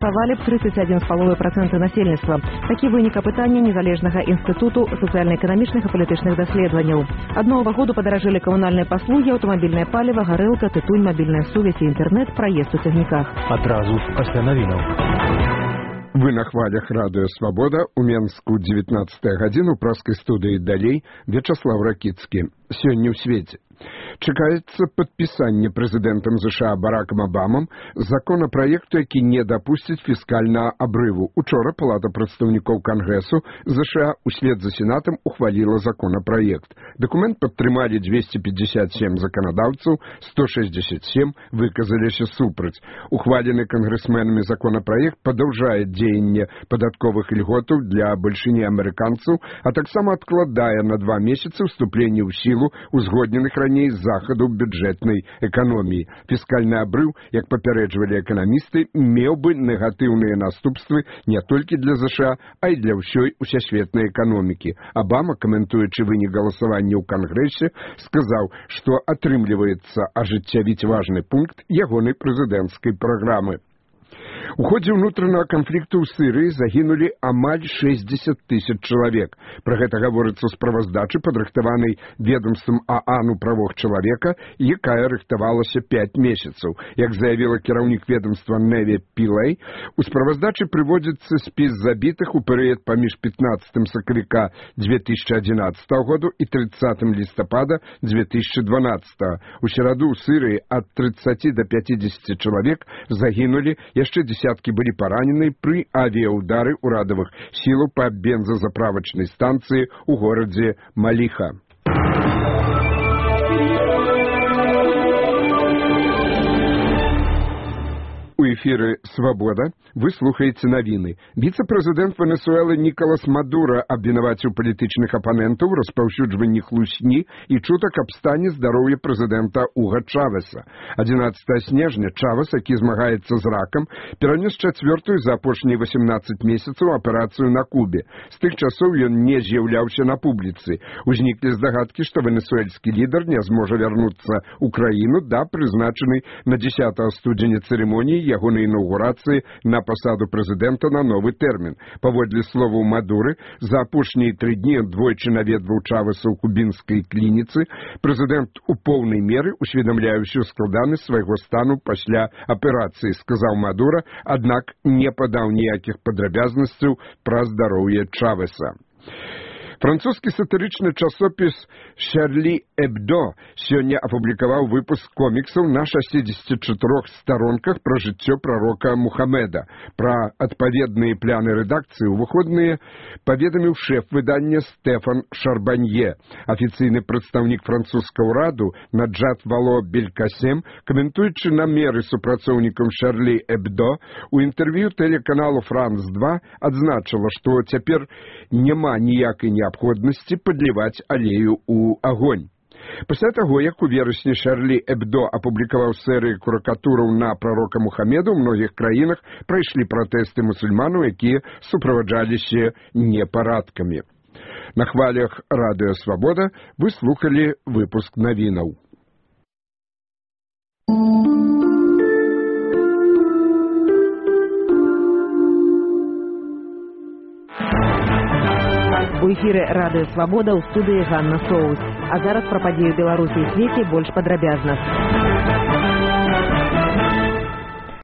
Галасавалі б 31,5% насельніцтва. Такі вынік апытання незалежнага інстытуту сацыяльна-эканамічных і палітычных даследаванняў. Ад новага году падаражэлі камунальныя паслугі, аўтамабільнае паліва, гарэлка, тытунь, мабільная сувязь і інтэрнэт, праезд у цягніках. Адразу пасля навінаў. Вы на хвалях радыё «Свабода», у Менску 19 гадзіну, праскай студыі «Далей», Вячаслав Ракіцкі. Сёння ў свеце. Чакаецца падпісанне прэзідэнтам США Баракам Абамам законапраекту, які не дапусціць фіскальнага абрыву. Учора Палата прадстаўнікоў Кангрэсу США услед за Сенатам ухваліла законапраект. Дакумент падтрымалі 257 заканадаўцаў, 167 выказаліся супраць. Ухвалены кангрэсменамі законапраект падаўжае дзеянне падатковых льготаў для бальшыні амерыканцаў, а таксама адкладае на 2 месяцы ўступленне ў сілу узгодненых раней захадаў бюджэтнай эканоміі. Фіскальны абрыў, як папярэджвалі эканамісты, меў бы негатыўныя наступствы не толькі для США, а і для ўсёй усесветнай эканомікі. Абама, каментуючы вынік галасавання ў Кангрэсе, сказаў, што атрымліваецца ажыццявіць важны пункт ягонай прэзідэнцкай праграмы. У ходзе ўнутранага канфлікту ў Сырыі загінулі амаль 60 тысяч чалавек. Пра гэта гаворыцца ў справаздачы, падрыхтаванай ведомствам ААН у правах чалавека, якая рыхтавалася 5 месяцаў. Як заявіла кіраўнік ведомства Неві Пілэй, у справаздачы прыводзіцца спіс забітых у перыяд паміж 15 сакавіка 2011 году і 30 лістапада 2012. У сераду ў Сырыі ад 30 до 50 чалавек загінулі, яшчэ десяткі былі паранены пры авіяўдары ўрадавых сілаў па бензазаправачнай станцыі ў горадзе Маліха. У эфіры «Свабода» вы слухаеце навіны. Віцэ-прэзідэнт Венесуэлы Нікалас Мадура абвінаваціў палітычных апанентаў у распаўсюджванні хлусні і чутак аб стане здароўя прэзідэнта Уга Чавеса. 11 снежня Чавес, які змагаецца з ракам, перанёс 4-ю за апошнія 18 месяцаў аперацыю на Кубе. З тых часоў ён не з'яўляўся на публіцы. Узніклі здагадкі, што венесуэльскі лідар не зможа вярнуцца ў краіну да прызначанай на 10 студзеня цырымоніі ягонай інаўгурацыі на пасаду прэзідэнта на новы тэрмін. Паводле словаў Мадуры, за апошнія 3 дні ён двойчы наведваў Чавеса ў кубінскай клініцы. Прэзідэнт у поўнай меры усведамляе ўсю складанасць свайго стану пасля аперацыі, сказаў Мадура, аднак не падаў ніякіх падрабязнасцяў пра здароўе Чавеса. Французскі сатырычны часопіс «Шарлі Эбдо» сёння апублікаваў выпуск коміксаў на 64 старонках пра жыццё прарока Мухаммеда. Пра адпаведныя пляны рэдакцыі ў выходныя паведаміў шэф выдання Стэфан Шарбанье. Афіцыйны прадстаўнік французскага ўраду Наджат Вало Белькасем, каментуючы намеры супрацоўнікам «Шарлі Эбдо», у інтэрв'ю тэлеканалу «Франс-2» адзначыла, што цяпер няма ніякай неабходнасці падліваць алею ў агонь. Пасля таго, як у верасні Шарлі Эбдо апублікаваў серыю карыкатураў на прарока Мухаммеда, у многіх краінах прайшлі пратэсты мусульманаў, якія суправаджаліся непарадкамі. На хвалях радыё «Свабода» вы слухалі выпуск навінаў. У эфіры радыё «Свабода» ў студыі Ганна Соус. А зараз пра падзею Беларусі і свеце больш падрабязна.